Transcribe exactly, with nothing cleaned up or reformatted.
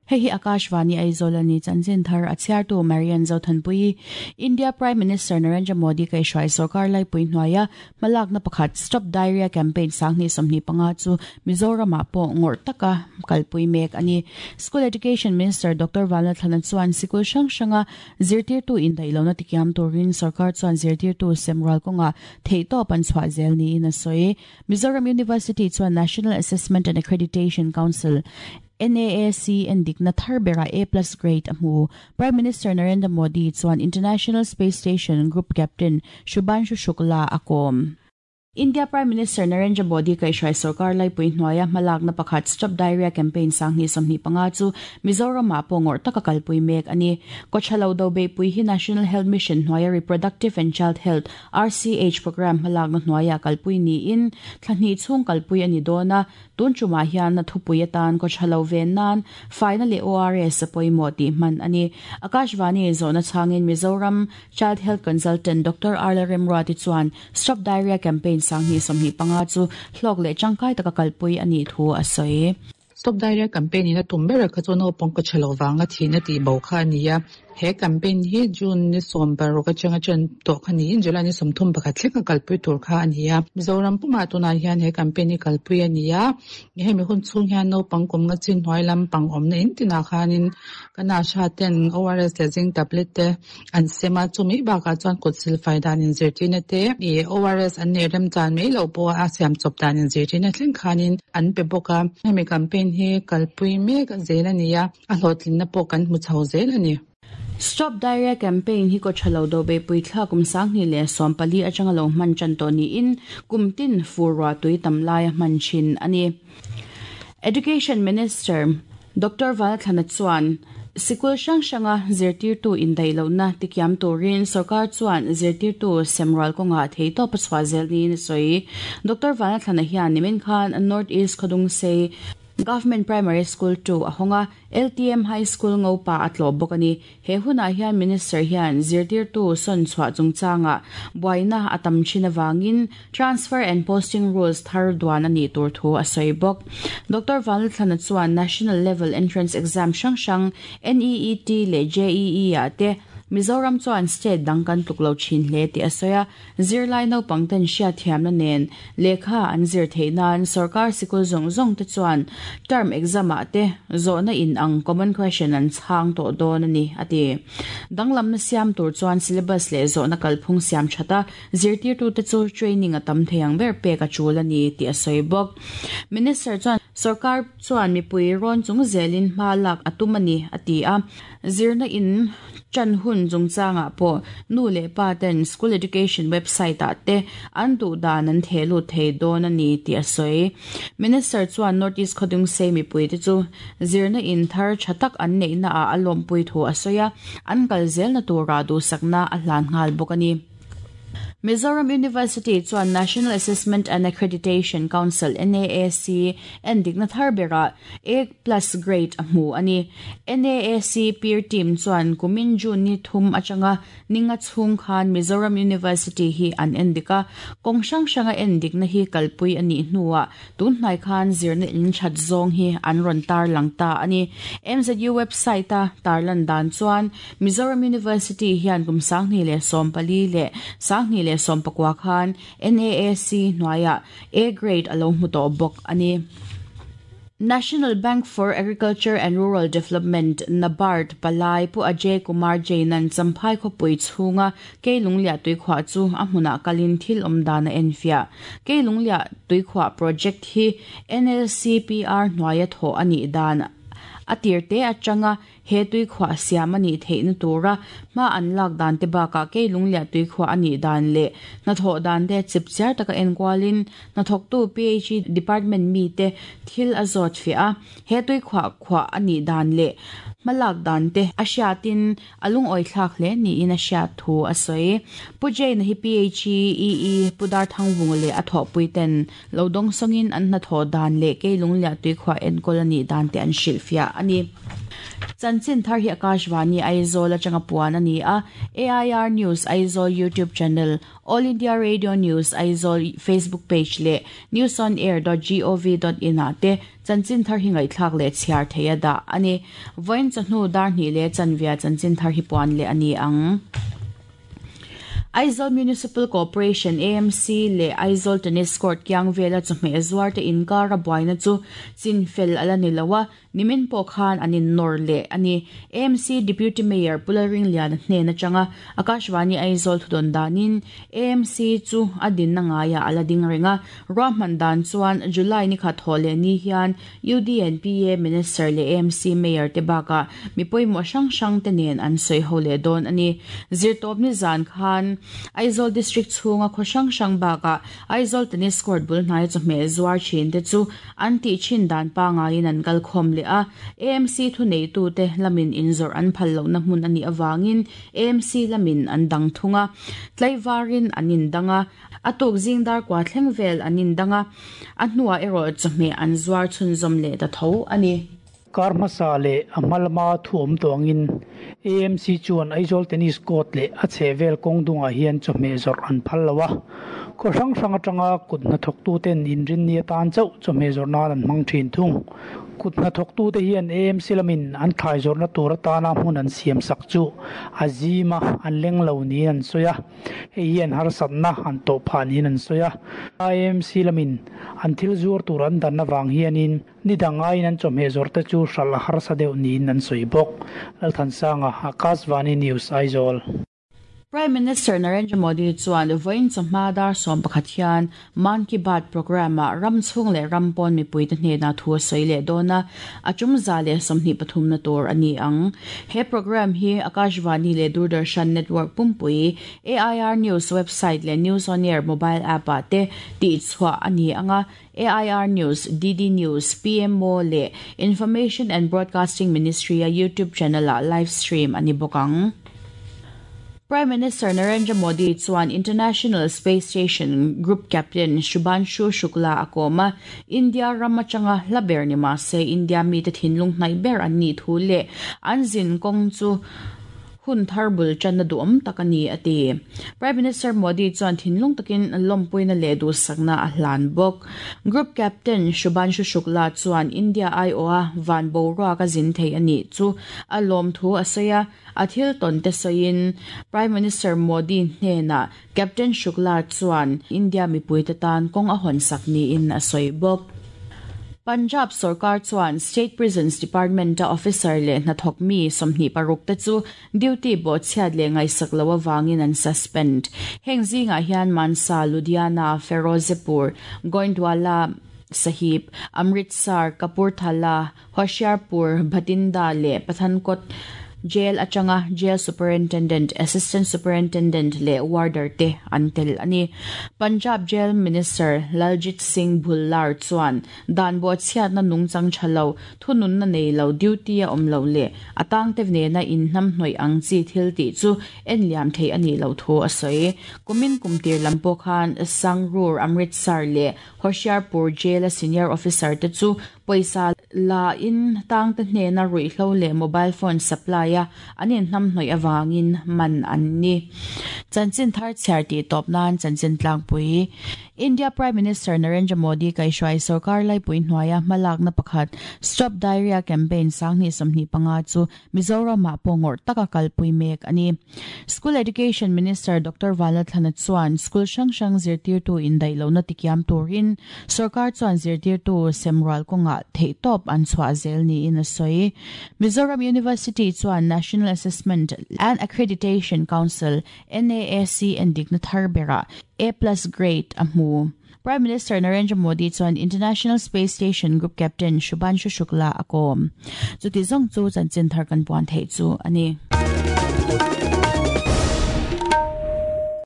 Hei hi Akashvani Aizawl ani chanchin thar a chhiartu Marian Zothanpui. India Prime Minister Narendra Modi kai hruai sarkar laipui hnuaia hmalakna pakhat Stop Diarrhea Campaign sanghnih sawmhnih panga chu Mizoram ah pawh ngawrh taka kalpui mek ani. School Education Minister Doctor Vanlalthlana chuan sikul hrang hranga zirtirtu indaih lohna tikiam turin sarkar chuan zirtirtu semrual kawnga theihtawp an chhuah zel niin a sawi. Mizoram University chuan National Assessment and Accreditation Council N A A C endikna thar bera A plus grade a hmu. Prime Minister Narendra Modi chuan International Space Station Group Captain Shubhanshu Shukla a kawm. India Prime Minister Narendra Modi kai hruai sarkar laipui hnuaia hmalakna pakhat Stop Diarrhea Campaign sanghnih sawmhnih panga chu Mizoram ah pawh ngawrh taka kalpui mek ani. Kawthalo do beipui hi National Health Mission hnuaia Reproductive and Child Health R C H program hmalakna hnuaia kalpui niin thlahnih chhung kalpui ani dawna tun chumah hian na thupui atan kawthalo ven nan faina leh O R S a pawimawh tih hman ani. Akashvani zawhna chhangin Mizoram Child Health Consultant Doctor Arla Remruati chuan Stop Diarrhea Campaign sanghnih sawmhnih panga chu hlawk leh tangkai taka kalpui ani thu a sawi. Stop Diarrhea Campaign in a tum ber kha chu naupang kawthalo wanga thihna tih bo kha ani a. He campaign hi June ni sawm paruk atanga chen tawh kha niin July ni sawmthum pakhat thleng a kalpui tur kha ani a. Mizoram pumah tunah hian he campaign hi kalpui ani a. Hemi hun chhung hian naupang kum nga chin hnuai lampang awmna in tinah khanin kan asha ten O R S leh zinc tablet te an sem a, chumi bakah chuan kut silfai dan in zirtirna te i O R S an nei rem chan mai loh pawh a siam chawp dan in zirtirna thleng khanin an pe bawk a. Hemi campaign hi kalpui mek zel ani a, a hlawhtlinna pawh kan hmu chho zel ani. Stop Diarrhea Campaign hi kawthalo do beipui thla kum sanghnih leh sawm pali atanga lo hman tan tawh niin kum tin fur tui tam lai a hman thin ani. Education Minister Doctor Vanlalthlana chuan sikul hrang hranga zirtirtu indaih lohna tikiam turin sarkar chuan zirtirtu semrual kawnga theihtawp a chhuah zel niin a sawi. Doctor Vanlalthlana hian nimin khan North East Khawdungsei Government Primary School two a honga L T M High School ngopa a tlawh bawk ani. He hunah hian Minister hian zirtirtu sawn chhuah chungchanga buaina a tam thin awangin transfer and posting rules thar duan ani tur thu a sawi bawk. Doctor Vanlalthlana chuan National Level Entrance Exam hrang hrang N E E T leh J E E ah te Mizoram chuan state dang kan tluk lo thin hle ti a sawi a. Zirlai naupang ten hriat thiamna nen lehkha an zir theih nan sarkar sikul zawng zawng te chuan term exam ah te zawhna in ang common question an chhang tawh dawn ani ati. Danglamna siam tur chuan syllabus leh zawhna kalphung siam thata zirtirtu te chu training a tam theiang ber pek a tul ani ti a sawi bawk. Minister chuan sarkar chuan mipui rawn chung zelin hma lak a tum ani ati a. Zirna in chan hun chungchangah pawh nu leh pa ten school education website ah te an duh dan an thehlu thei dawn ani tih a sawi. Minister chuan North East Khawdungsei mipui te chu zirna in thar tha tak an neihna ah a lawmpui thu a sawi a, an kal zelna tura duhsakna a hlan nghal bawk ani. Mizoram University chuan National Assessment and Accreditation Council N A A C endikna thar bera A plus grade a hmu ani. N A A C peer team chuan kumin June ni thum atanga ninga chhung khan Mizoram University hi an endika kawng hrang hranga endikna hi kalpui ani hnuah tun hnai khan zirna in that zawng hi an rawn tar lang ta ani. M Z U website a tarlan dan chuan Mizoram University hian kum sanghnih leh sawm pali leh sanghnih leh sawm pakua khan N A A C hnuaiah A grade a lo hmu tawh bawk ani. National Bank for Agriculture and Rural Development NABARD palai pu Ajay Kumar Jainan champhai khawpui chhunga Keilunglia tuikhuah chu a hmunah kalin thil awm dan a enfiah. Keilunglia tuikhuah project hi N L C P R hnuaia thawh anih dan a tirte atanga he tuikhuah siam ani theihna tura hma an lak dan te bakah Keilunglia tuikhuah ani dan leh hnathawh dan te chipchiar taka enkualin hnathawktu P H E department mi te thil a zawt fiah a. He tuikhuah khuah ani dan leh hmalak dan te a hriatin a lungawi thlak hle niin a hriat thu a sawi. Pu Jain hi P H E E E Pu Darthangvung leh a thawhpui ten lo dawng sawngin an hnathawh dan leh Keilunglia tuikhuah enkawl ani dan te an hrilh fiah ani. Chanchin thar hi Akashvani Aizawl atanga puan ani a. A I R News Aizawl YouTube channel, All India Radio News Aizawl Facebook page le news on air dot gov dot in a te chanchin thar hi ngaithlak le chhiar theia da ani. Voin chahnu dar ni le chanvia chanchin thar hi puan le ani ang. Aizawl Municipal Corporation A M C le Aizawl Tennis Court kyang vela chawhmeh zuar te inkar a buaina chu chinfel ala ni loa nimin pawh khan anin nawr leh ani. A M C Deputy Mayor Pularing Lian hnen atanga Akashvani Aizawl thudawn danin A M C chu a din na ngaia ala ding renga ruahman dan chuan July ni khat haw leh ni hian U D N P A Minister le A M C Mayor te baka mipawimawh hrang hrang te nen an sawi ho leh dawn ani. Zirtawp ni zan khan Aizawl District chhunga khaw hrang hrang baka Aizawl Tennis Court bul hnai chawhmeh zuar thin te chu an tih thin dan pangaiin an kal khawm leh a. A M C thu nei tu te lamin inzawrh an phal lohna hmun ani awangin A M C lamin an dang thunga tlaivarin an indanga a tuk zing dar kwa thleng vel an indanga a hnuah erawh chawhmeh an zuar chhunzawm leh ta tho ani. Karmasa le amalma thuam tawngin A M C chuan Aizawl Tennis Court le a chhevel kawngdungah hian chawhmeh zawrh an phal lo a. Khaw hrang hrang atanga kut hnathawk tu ten inrin ni atan chauh chawhmeh zawrh nan an hmang thin thung. Kut hnathawk tu te hian A M C lamin an thlai zawrhna tur atana hmun an siam sak chu a zima an leng lo niin an sawi a. Hei hian harsatna an tawh phah niin an sawi a. A M C lamin an thil zuar tur an danna vang hianin ni dangaiin an chawhmeh zawrh te chu hral a harsa deuh niin an sawi bawk. Lalthansanga, Akashvani News, Aizawl. Prime Minister Narendra Modi chuan vawiin chawhma dar sawm pakhat hian Mann Ki Baat program a ram chhung leh ram pawn mipui te hnena thu a sawi leh dawn a, a tum za leh sawmhnih pathum na tur ani ang. He program hi Akashvani leh Doordarshan Network pumpui A I R News website leh News on Air mobile app ah te tih chhuah ani anga. A I R News, D D News, P M O le Information and Broadcasting Ministry a YouTube channel a live stream ani bawk ang. Prime Minister Narendra Modi chuan International Space Station Group Captain Shubhanshu Shukla akoma India ramachanga hlaber ni ma se India mi te thinlung hnai ber an ni thu le an zin kong chu hun thar bul chan na duam takani ati. Prime Minister Modi chuan thinlung takin lompuina le du sakna a hlan bawk. Group Captain Shubhanshu Shukla chuan India I O a van bo ka zin thei ani chu a lom thu a saia a thil ton te sain Prime Minister Modi hnena Captain Shukla chuan India mipui te tan kong a hon sakni in a sawi bawk. Punjab Sarkar chuan State Prisons Department officer le hnathawk mi sawmhnih paruk te chu duty bo chhiat le ngaisak lo awangin an suspend. Heng zingah hian Mansa, Ludhiana, Ferozepur, Goindwala Sahib, Amritsar, Kapurthala, Hoshiarpur, Bhatinda le Pathankot Jail atanga Jail Superintendent, Assistant Superintendent le warder te antel ani. Punjab Jail Minister Laljit Singh Bhullar chuan dan bo chhiat na nungchang thalo thunun na nei lo duty a om lo le atang te ne na in hnam hnoi ang chi thil ti chu en liam thei ani lo thu a soi. Kumin kumtir lampo khan Sangrur, Amritsar le Hoshiarpur Jail Senior Officer te chu poisa la in tang te hne na rui hlo le mobile phone supply a anin hnam hnoi awangin man an ni. Chanchin thar chhiar ti top nan chanchin tlangpui. India Prime Minister Narendra Modi kai hruai sarkar laipui hnuaia hmalak na pakhat Stop Diarrhea Campaign sanghnih sawmhnih panga chu Mizoram ah pawngawrh taka kalpui mek ani. School Education Minister Doctor Vanlalthlana chuan school hrang hrang zirtirtu indaih lohna tikiam turin sarkar chuan zirtirtu semrual kawnga theihtawp an chhuah zel niin a sawi. Mizoram University chuan National Assessment and Accreditation Council N A A C en dikna thar bera A plus grade a hmu. Prime Minister Narendra Modi chuan International Space Station Group Captain Shubhanshu Shukla akom. Chuti zawng chu chanchin thar kan puan thei chu ani.